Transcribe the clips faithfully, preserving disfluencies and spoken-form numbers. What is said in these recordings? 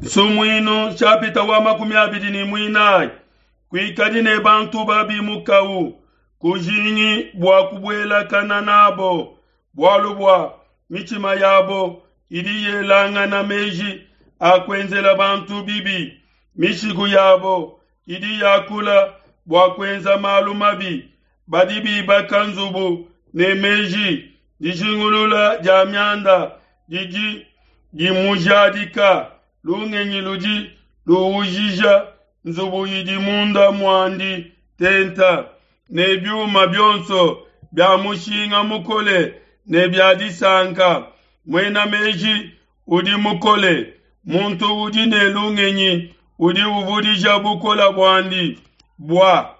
Nsumuinu nshapita wa makumi abidi ne muinayi. Kuikadi ne bantu babi mukawu, kujingi bua kubuelakana nabo, bualu bua mitshima yabo idi yelangana meji a kuenzela bantu bibi, mishiku yabo idi yakula bua kuenza malu mabi. Badi bibaka nzubu ne meji, dijingulula dia mianda didi dimujadika, lungenyi ludi luujija nzubu idi munda muandi tenta ne biuma bionso bia mushinga mukole ne bia disanka. Muena meji udi mukole, muntu udi ne lungenyi udi uvudija bukole buandi, bua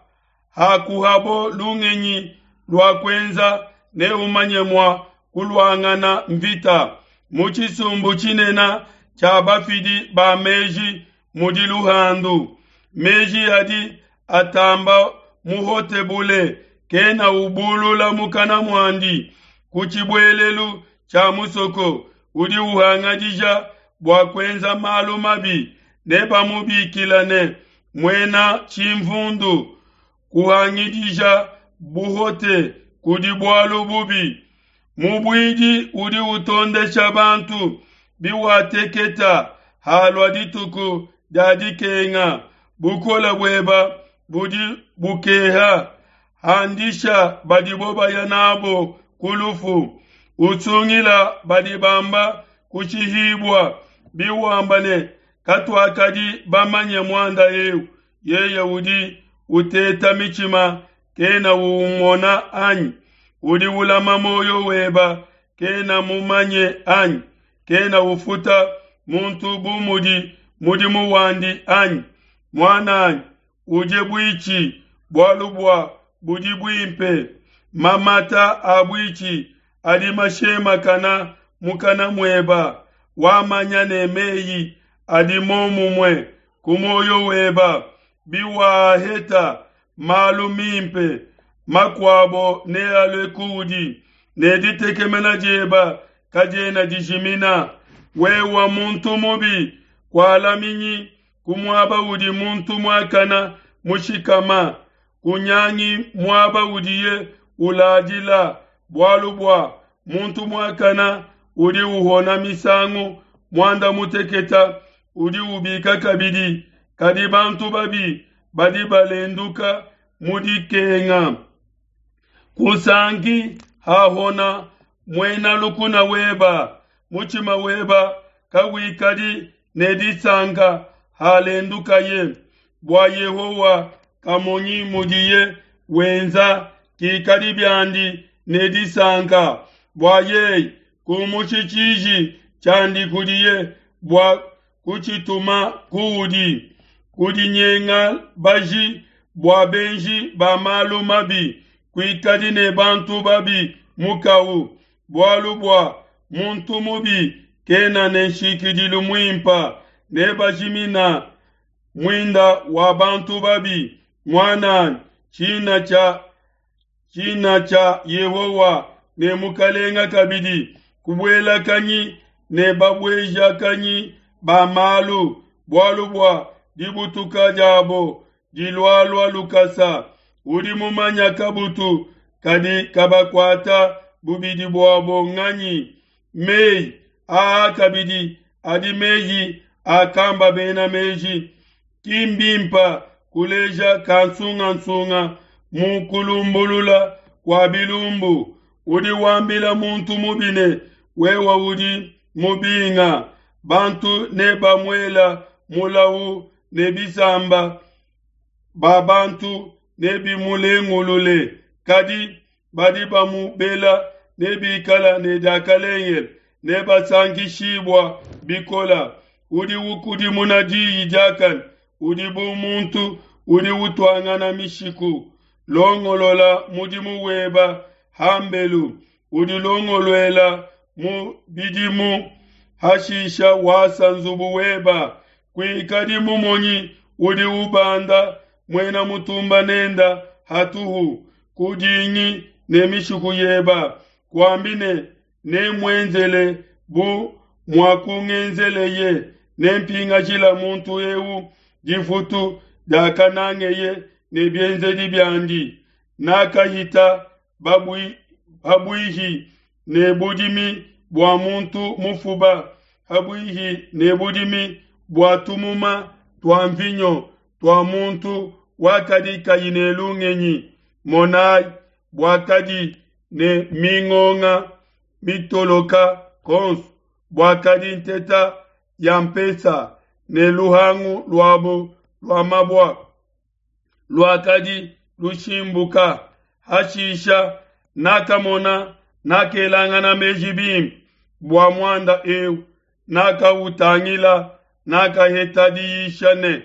hakuhabo lungenyi lua kuenza neumanye mua kuluangana mvita. Mu tshisumbu tshinene tshia bafidi ba meji mudi luhandu. Meji adi atamba muhote bule, kena ubulula mukana muandi. Ku tshibuelelu tshia musoko udi uhangadija bua kuenza malu mabi, nebamubikile ne, Muena tshimvundu. Kuhangidija buhote kudi bualu bubi. Mubuidi udi utondesha bantu. Biwateketa halua dituku dia dikenga, bukole bueba budi bukeha. Handisha badibo baya nabo ku lufu, usungila badi bamba kushihibua. Biwamba ne, Katuakadi bamanye muanda eu, yeye udi uteta mitshima kena umona anyi? Udi ulama muoyo weba kena mumanye anyi? Kena ufuta muntu bu mudi mudimu wandi anyi? Muan'anyi, udie buitshi, bualu bua budi buimpe. Mamata a buitshi adi mashemakana mukana mueba. Wamanya ne meyi adi momumue ku muoyo weba. Biwaheta malu mimpe, makuabo nealue kuudi, ne ditekemena dieba kadiena dijimina. Wewe muntu mubi, kualaminyi ku muaba udi muntu muakana mushikama, kunyangi muaba udiye uladila, bualu bua muntu muakana udi uhona misangu muanda muteketa, udi ubika kabidi, kadi bantu babi badi balenduka mu dikenga. Kusanki hahona muena lukuna weba, mutshima weba kawikadi ne disanka halendukaye, bua Yehowa kamonyi mudiye wenza, kikadi biandi ne disanka, bua yeye kumushi tshiji tshiandi kudiye bua kutshituma kuudi. Kudinyenga baji bua benji ba malu mabi, kuikadi ne bantu babi mukawu, bualu bua muntu mubi kena ne nshikidilu muimpa, nebajimina muinda wa bantu babi. Muananyi, tshina tshia tshina tshia Yehowa ne mukalenga kabidi, kubuelakanyi ne babuejakanyi ba malu, bualu bua dibutuka diabo dilualua lukasa. Udi mumanya kabutu kadi kabakuata bubidi buabo nganyi? Meyi aa kabidi adi meyi akamba bena meji. Ki mbimpa kuleja kansungasunga mu kulumbulula kua bilumbu. Udi wambila muntu mubi ne, wewe udi mubinga. Bantu nebamuela mulawu ne bisamba ba bantu nebimulengulule, kadi badi bamubela nebikala ne diakalengele, nebasankishibua bikola. Udi ukudimuna diyi diakane udi bu muntu udi utuangana mishiku. Longolola mudimu weba hambelu, udilongoluela mu bidimu, hashisha wasa nzubu weba. Kuikadi mumonyi udi ubanda muena mutumba nenda hatuhu, kudingi ne mishiku yeba, kuambi ne nemuenzele bu muakungenzeleye, Nempingashila muntu eu difutu diakanangeye ne bienzedi biandi. Nakahita habuihi ne budimi bua muntu mufuba, habuihi ne budimi bua tumuma tua nvinyo tua muntu wakadi kayi ne lungenyi. Monai, buakadi ne mingonga mitoloka kuonso, buakadi nteta ya mpesa, ne luhangu luabo lua mabua luakadi lushimbuka. Hashisha nakamona, nakelangana meji bimpe bua muanda eu, nakautangila, nakaheta diyisha ne,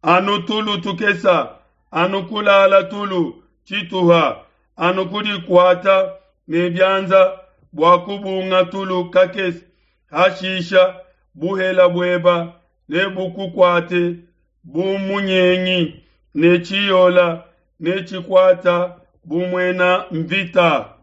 Anu tulu tukesa, anu kulala tulu tshituha, anu kudikuata ne bianza bua kubunga tulu kakese, hashisha buhele bueba nebukukuate bu munyengi, ne tshiyola netshikuata bu muena nvita.